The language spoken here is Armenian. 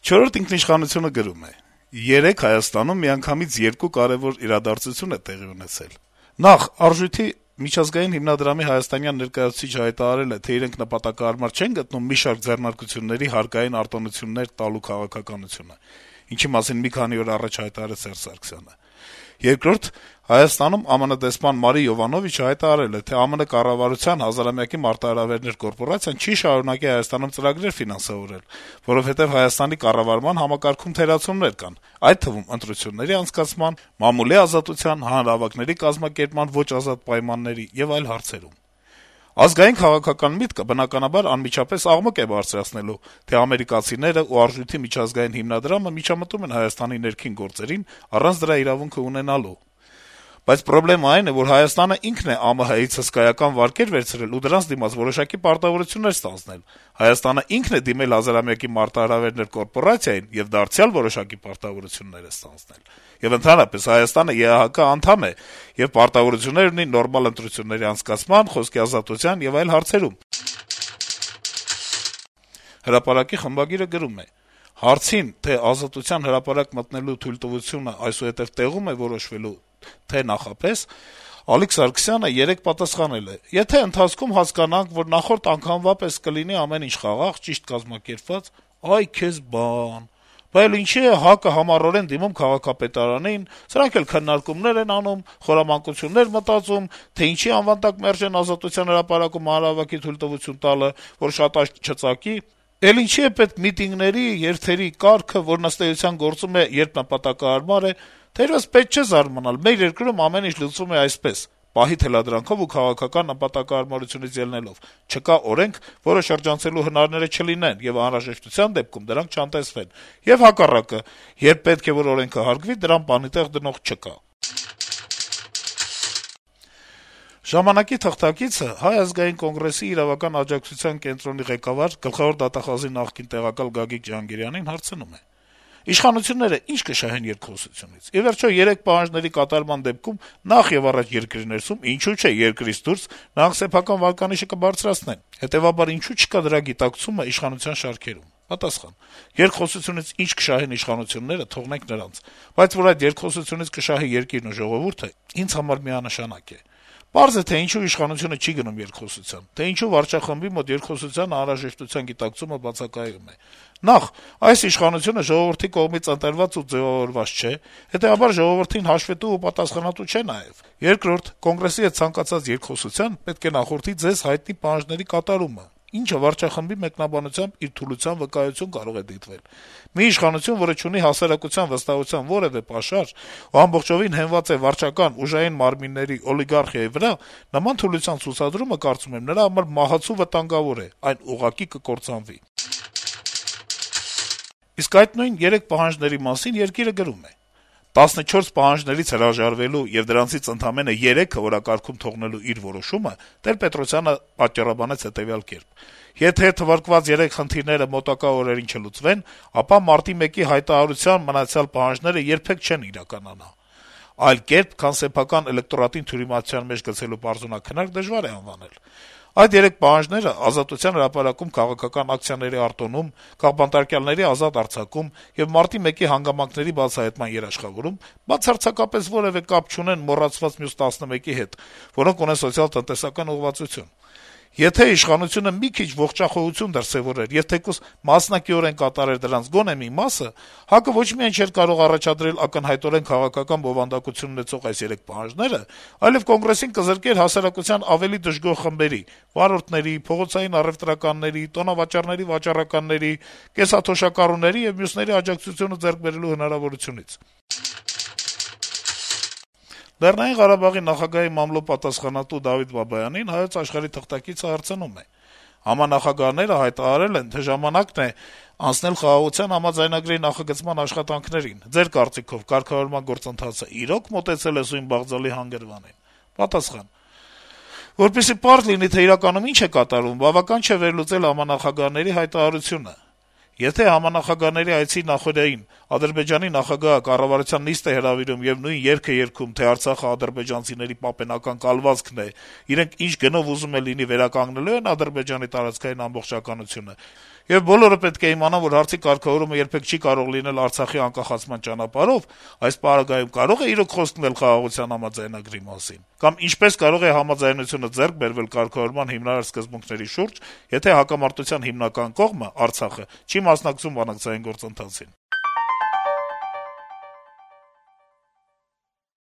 Չորրորդ ինքնիշխանությունը գրում է. - «Երեկ Հայաստանում միանգամից երկու կարեւոր իրադարձություն է տեղի ունեցել: Նախ, Արժույթի միջազգային հիմնադրամի հայաստանյան ներկայացուցիչ հայտարարել է, թե իրենք նպատակահարմար չեն գտնում մի շարք ձեռնարկությունների հարկային արտոնություններ տալու քաղաքականությունը, ինչի մասին մի քանի օր առաջ հայտարարեց Սերժ Սարգսյանը: Երկրորդ, Հայաստանում ԱՄՆ դեսպան Մարի Յովանովիչը հայտարարել է, թե ԱՄՆ կառավարության հազարամյակի մարտահրավերներ կորպորացիան չի շարունակի Հայաստանում ծրագրեր ֆինանսավորել, որովհետեւ Հայաստանի կառավարման համակարգում թերացումներ կան, այդ թվում ընտրությունների անցկացման, մամուլի ազատության, հանրահավաքների կազմակերպման ոչ ազատ պայմանների եւ այլ հարցերում: Ազգային քաղաքական միտքը, բնականաբար, անմիջապես աղմուկ է բարձրացնելու, թե ամերիկացիները ու Արժույթի միջազգային հիմնադրամը միջամտում են Հայաստանի ներքին գործերին առանց դրա իրավունքը ունենալու: Բայց պրոբլեմն այն է, որ Հայաստանը ինքն է ԱՄՀ-ից հսկայական վարկեր վերցրել ու դրանց դիմաց որոշակի պարտավորություններ ստանձնել: Հայաստանը ինքն է դիմել հազարամյակի մարտահրավերներ կորպորացիային եւ դարձյալ որոշակի պարտավորություններ է ստանձնել: Եվ ընդհանրապես Հայաստանը ԵԱՀԿ անդամ է եւ պարտավորություններ ունի նորմալ ընտրությունների անցկացման, խոսքի ազատության եւ այլ հարցերում»: «Հրապարակ»-ի խմբագիրը գրում է. - «Հարցին, թե Ազատության հրապարակ մտնելու թույլտվությունը այսուհետեւ տեղում է որոշվելու, թե նախապես, Ալիկ Սարգսյանը երեկ պատասխանել է. «Եթե ընթացքում հասկանանք, որ նախորդ անգամվա պես կլինի ամեն ինչ խաղաղ, ճիշտ կազմակերպված, այ քեզ բան: Բա էլ ինչի՞ է ՀԱԿ-ը համառորեն դիմում քաղաքապետարանին, սրանք էլ քննարկումներ են անում, խորամանկություններ մտածում, թե ինչի անվան տակ մերժեն Ազատության հրապարակում հանրահավաքի թույլտվություն տալը, որ շատ աչք չծակի: Էլ ինչի՞ է պետք միտինգների, երթերի կարգը, որն ըստ էության գործում է, երբ նպատակահարմար է: Թերեւս պետք չէ զարմանալ, մեր երկրում ամեն ինչ լուծվում է այսպես. պահի թելադրանքով ու քաղաքական նպատակահարմարությունից ելնելով: Չկա օրենք, որը շրջանցելու հնարները չլինեն, եւ անհրաժեշտության դեպքում դրանք չանտեսվեն: Եվ հակառակը, երբ պետք է, որ օրենքը հարգվի, դրան բանի տեղ դնող չկա»: «Ժամանակ»-ի թղթակիցը Հայ ազգային կոնգրեսի իրավական աջակցության կենտրոնի ղեկավար, Գլխավոր դատախազի նախկին տեղակալ Գագիկ Ջհանգիրյանին հարցնում է. - «Իշխանությունները ի՞նչ կշահեն երկխոսությունից: Ի վերջո, 3 պահանջների կատարման դեպքում, նախ եւ առաջ երկրի ներսում, ինչու՞ չէ երկրից դուրս, նրանք սեփական վարկանիշը կբարձրացնեն: Հետեւաբար, ինչու՞ չկա դրա գիտակցումը իշխանության շարքերում»: Պատասխան. - «Երկխոսությունից ինչ կշահեն իշխանությունները, թողնենք նրանց: Բայց որ այդ երկխոսությունից կշահի երկիրն ու ժողովուրդը, ինձ համար միանշանակ է: Պարզ է, թե ինչու իշխանությունը չի գնում երկխոսության, թե ինչու վարչախմբի մոտ երկխոսության անհրաժեշտության գիտակցումը բացակայում է: Նախ, այս իշխանությունը ժողովրդի կողմից ընտրված ու ձեւավորված չէ, հետեւաբար ժողովրդին հաշվետու ու պատասխանատու չէ նաեւ: Երկրորդ, Կոնգրեսի հետ ցանկացած երկխոսության պետք է նախորդի ձեզ հայտնի պահանջների կատարումը, ինչը վարչախմբի մեկնաբանությամբ իր թուլության վկայություն կարող է դիտվել: Մի իշխանություն, որը չունի հասարակության վստահության որեւէ պաշար ու ամբողջովին հենված է վարչական, ուժային մարմինների, օլիգարխիայի վրա, նման թուլության ցուցադրումը, կարծում եմ, նրա համար մահացու վտանգավոր է, այն ուղղակի կկործանվի»: Իսկ այդ նույն 3 պահանջների մասին «Երկիր»-ը գրում է. - 14 պահանջներից հրաժարվելու եւ դրանցից ընդամենը 3-ը օրակարգում թողնելու իր որոշումը Տեր-Պետրոսյանը պատճառաբանեց հետեւյալ կերպ. - «Եթե թվարկված 3 խնդիրները մոտակա օրերին չլուծվեն, ապա մարտի 1-ի հայտարարությամբ մնացյալ պահանջները երբեք չեն իրականանա: Այլ կերպ, քան սեփական էլեկտորատին թյուրիմացության մեջ գցելու պարզունաքննարկ դժվար է անվանել: Այդ 3 պահանջները Ազատության հրապարակում քաղաքական ակցիաների արտոնում, քաղբանտարկյալների ազատ արձակում եւ մարտի 1-ի հանգամանքների բացահայտման երաշխավորում բացարձակապես որեւէ կապ չունեն մոռացված մյուս 11-ի հետ, որոնք ունեն սոցիալ-տնտեսական ուղղվածություն: Եթե իշխանությունը մի քիչ ողջախոհություն դրսեւորեր եւ թեկուզ մասնակիորեն կատարեր դրանց գոնե մի մասը, ՀԱԿ-ը ոչ միայն չէր կարող առաջադրել ակնհայտորեն քաղաքական բովանդակություն ունեցող այս 3 պահանջները, այլեւ Կոնգրեսին կզրկեր հասարակության ավելի դժգոհ խմբերի՝ վարորդների, փողոցային առեւտրականների, տոնավաճառների վաճառականների, կեսաթոշակառուների եւ մյուսների աջակցությունը ձեռք բերելու հնարավորությունից»: Լեռնային Ղարաբաղի նախագահի մամլո պատասխանատու Դավիթ Բաբայանին «Հայոց Աշխարհ»-ի թղթակիցը հարցնում է. - «Համանախագահները հայտարարել են, թե ժամանակն է անցնել Խաղաղության համաձայնագրի նախագծման աշխատանքներին: Ձեր կարծիքով կարգավորման գործընթացը իրո՞ք մոտեցել է սույն բաղձալի հանգրվանին»: Պատասխան. - «Որպեսզի պարզ լինի, թե իրականում ինչ է կատարվում, բավական չէ վերլուծել համանախագահների հայտարարությունը: Եթե համանախագահների այցի նախօրեին Ադրբեջանի նախագահը կառավարության նիստ է հրավիրում եւ նույն երգը երգում, թե Արցախը ադրբեջանցիների պապենական կալվածքն է, իրենք ինչ գնով ուզում է լինի վերականգնելու են Ադրբեջանի տարածքային ամբողջականությունը, Եվ բոլորը պետք է իմանան, որ հարցի կարգավորումը երբեք չի կարող լինել Արցախի անկախացման ճանապարհով, այս պարագայում կարող է իրոք խոսքնել խաղաղության համաձայնագրի մասին, կամ ինչպես կարող է համաձայնությունը ձեռք բերվել կարգավորման հիմնարար սկզբունքների շուրջ, եթե հակամարտության հիմնական կողմը՝ Արցախը, չի մասնակցում բանակցային գործընթացին։